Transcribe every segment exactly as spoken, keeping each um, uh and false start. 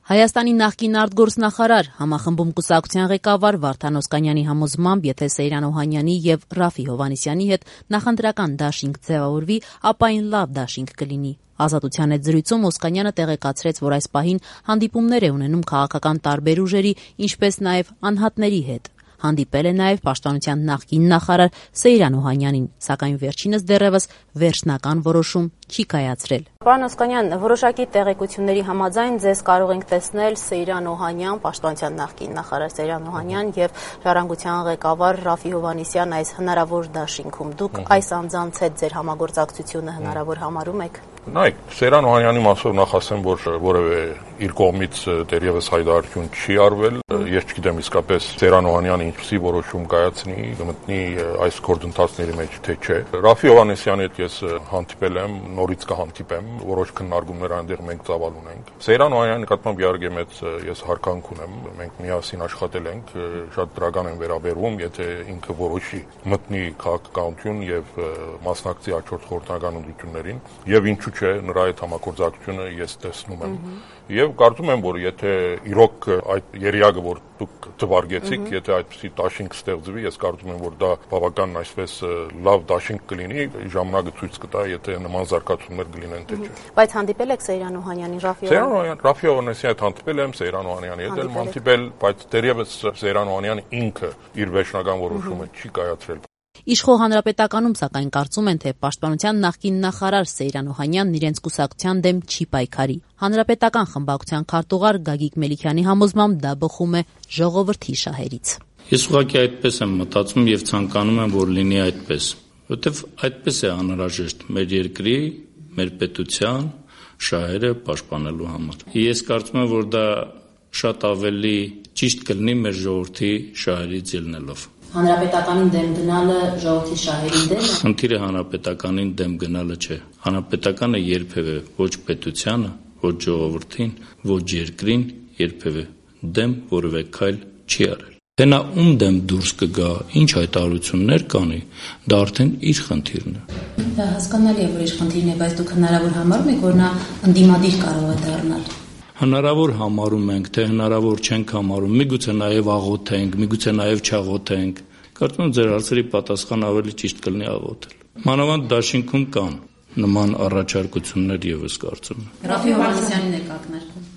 Հայաստանի նախկին արտգործնախարար, համախմբում կուսակցության ղեկավար Վարդան Օսկանյանի համոզմամբ, եթե Սեյրան Օհանյանի եւ Ռաֆի Հովհաննիսյանի հետ նախընտրական դաշինք ձևավորվի, ապա այն լավ դաշինք կլինի։ Ազատության հետ զրույցում Օսկանյանը տեղեկացրեց, որ այս պահին հանդիպումներ է ունենում քաղաքական տարբեր ուժերի, ինչպես նաեւ անհատների հետ։ Հանդիպել է նաև Պաշտպանության նախկին նախարար Սեյրան Օհանյանին, սակայն վերջինս դեռևս վերջնական որոշում չի կայացրել։ Պարոն Օսկանյան, որոշակի տեղեկությունների համաձայն ձեզ կարող ենք տեսնել Սեյրան Օհանյան, Պաշտպանության նախկին նախարար Սեյրան Օհանյան եւ Ժառանգության ղեկավար Ռաֆի Հովհաննիսյան այս հնարավոր դաշինքում։ Դուք այս անձանց հետ ձեր համագործակցությունը հնարավոր համարում եք։ Նայեք, Սեյրան Օհանյանի մասով նախ ասեմ, որ որևէ իր կողմից դեռևս հայտարարություն չի արվել։ Ես չգիտեմ իսկապես Սեյրան Օհանյանը ինչպիսի որոշում կայացնի, գտնի այս գործընթացների մեջ թե չէ։ Ռաֆի Հովհաննիսյանի հետ ես հանդիպել եմ, նորից կհանդիպեմ, որոշ քննարկումներ այնտեղ մենք ծավալ ունենք։ Սեյրան Օհանյանի նկատմամբ իհարկե մեծ ես հարկանք ունեմ, մենք միասին աշխատել ենք, շատ դրական են վերաբերվում, եթե ինքը որոշի մտնի քաղաքականություն եւ մասնակցի հաջորդ խորհրդական ընտրություններին, եւ ինչու՞ չէ, նրա այդ համագործակցությունը ես տեսնում եմ։ Եվ կարծում եմ, որ եթե իրոք այդ երիակը, որ դուք թվարկեցիք, եթե այդպիսի դաշինք ստեղծվի, ես կարծում եմ, որ դա բավական այսպես լավ դաշինք կլինի, ժամանակը ցույց կտա, եթե նման զարգացումներ կլինեն թե չէ։ Բայց հանդիպել եք Սեյրան Օհանյանին, Ռաֆի Օհանյանին, Ռաֆի Հովհաննիսյանի հետ հանդիպել եմ, Սեյրան Օհանյանի հետ էլ հանդիպել, բայց դեռևս Սեյրան Օհանյանը ինքը իր վերջնական որոշումը չի կայացրել։ Իշխող Հանրապետականում, սակայն, կարծում են, թե Պաշտպանության նախկին նախարար Սեյրան Օհանյանն իրենց կուսակցության դեմ չի պայքարի։ Հանրապետական խմբակցության քարտուղար Գագիկ Մելիքյանի համոզմամբ դա բխում է ժողովրդի շահերից։ Ես ուղղակի այդպես եմ մտածում եւ ցանկանում եմ, որ լինի այդպես, որովհետեւ այդպես է անհրաժեշտ մեր երկրի, մեր պետության շահերը պաշտպանելու համար։ Ես կարծում եմ, որ դա շատ ավելի ճիշտ կլինի մեր ժողովրդի շահերից ելնելով։ Հանրապետականին դեմ գնալը ժողովրդի շահերին դեմ է։ Խնդիրը հանրապետականին դեմ գնալը չէ։ Հանրապետականը երբևէ ոչ պետությանը, ոչ ժողովրդին, ոչ երկրին երբևէ դեմ որևէ քայլ չի արել։ Թե նա ում դեմ դուրս կգա, ինչ հայտարարություններ կանի, դա արդեն իր խնդիրն է։ Դա հասկանալի է, որ իր խնդիրն է, բայց դուք հնարավոր համարում եք, որ նա ընդդիմադիր կարող է դառնալ։ Հնարավոր համարում ենք, թե հնարավոր չենք համարում, միգուցե նաև աղոթենք, միգուցե նաև չաղոթենք։ Կարծում եմ ձեր հարցերի պատասխանը ավելի ճիշտ կլինի աղոթել։ Մանավանդ դաշինքում կան նման առաջարկություններ եւս կարծում եմ։ Ռաֆի Հովհաննիսյանին եք ակնարկում։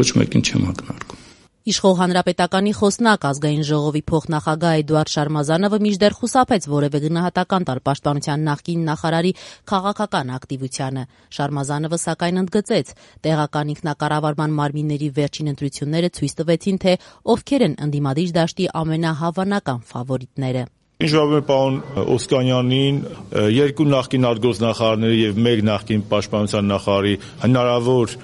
Ոչ մեկին չեմ ակնարկում։ Իշխող Հանրապետականի խոսնակ ազգային ժողովի փոխնախագահ Էդուարդ Շարմազանովը մինչդեռ խուսափեց որևէ գնահատական տալ Պաշտպանության նախկին նախարարի քաղաքական ակտիվությանը։ Շարմազանովը սակայն ընդգծեց, տեղական ինքնակառավարման մարմինների վերջին ընտրությունները ցույց տվեցին, թե ովքեր են ընդդիմադիր դաշտի ամենահավանական ֆավորիտները։ Ինչ որ պարոն Օսկանյանին, երկու նախկին արտգործնախարարների եւ մեկ նախկին պաշտպանության նախարարի հնարավոր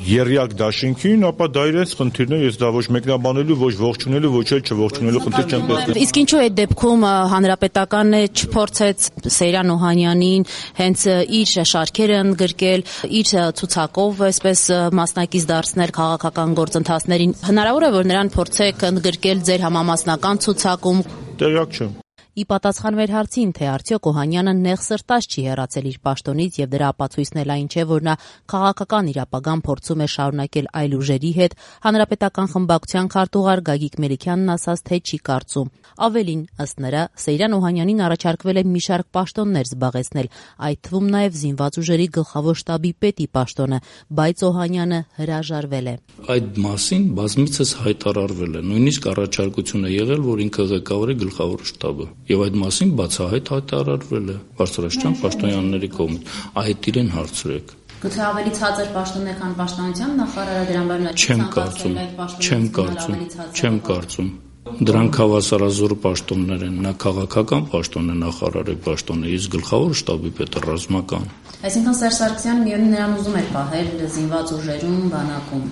երրյակ դաշինքին, ապա դա իրենց խնդիրն է, ես դա ոչ մեկնաբանելու, ոչ ողջունելու, ոչ էլ չողջունելու խնդիր չեմ տեսնում։ Իսկ ինչու այդ դեպքում հանրապետականը չփորձեց Սեյրան Օհանյանին հենց իր շարքերը ընդգրկել, իր ցուցակով այսպես մասնակից դարձնել քաղաքական գործընթացներին։ Հնարավոր է, որ նրան փորձեք ընդգրկել ձեր համամասնական ցուցակում։ Տեղյակ չեմ։ Ի պատասխան մեր հարցին, թե արդյոք Օհանյանը նեղ սրտած չի հեռացել իր պաշտոնից եւ դրա ապացույցն էլ այն չէ, որ նա քաղաքական իր ապագան փորձում է շարունակել այլ ուժերի հետ, Հանրապետական խմբակցության քարտուղար Գագիկ Մելիքյանն ասաց, թե չի կարծում։ Ավելին, ըստ նրա, Սեյրան Օհանյանին առաջարկվել է մի շարք պաշտոններ զբաղեցնել, այդ թվում նաեւ զինված ուժերի գլխավոր շտաբի պետի պաշտոնը, բայց Օհանյանը հրաժարվել է։ Այդ մասին բազմիցս հայտարարվել է, նույնիսկ առաջարկություն է եղել, որ ինքը ղեկավարի գլխավոր շտաբը։ Եվ այդ մասին բացահայտ հայտարարվել է Բարձրաստիճան պաշտոնյաների կողմից։ Այդ իրեն հարցրեք։ Գուցե ավելի ցածր պաշտոն է, քան Պաշտպանության նախարարը, դրան բերնա չեմ կարծում, չեմ կարծում, չեմ կարծում։ Դրանք հավասարազոր պաշտոններ են, նա քաղաքական պաշտոն է, նախարարի պաշտոն է, իսկ գլխավոր շտաբի պետը ռազմական։ Այսինքն Սերժ Սարգսյանը միևնույն նրան ուզում էր պահել զինված ուժերում, բանակում։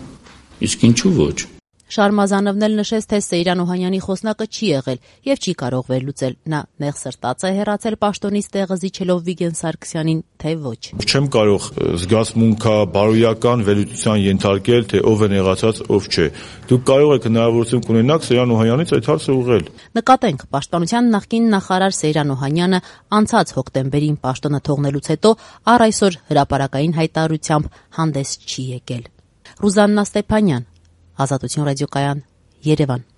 Իսկ ինչու ոչ։ Շարմազանովն էլ նշեց, թե Սեյրան Օհանյանի խոսնակը չի եղել եւ չի կարող վերլուծել, նա նեղ սրտած է հեռացել պաշտոնից տեղը զիջելով Վիգեն Սարգսյանին, թե ոչ։ Չեմ կարող զգացմունքա բարոյական վերլուծության ենթարկել, թե ով է նեղացած, ով չէ։ Դուք կարող եք հնարավորություն կունենաք Սեյրան Օհանյանից այդ հարցը ուղղել։ Նկատենք, Պաշտպանության նախկին նախարար Սեյրան Օհանյանը անցած հոկտեմբերին պաշտոնը թողնելուց հետո առ այսօր հրապարակային հայտարարությամբ հանդես չի եկել։ Ռուզաննա Ստեփանյան, Ազատություն ռադիոկայան, Երևան։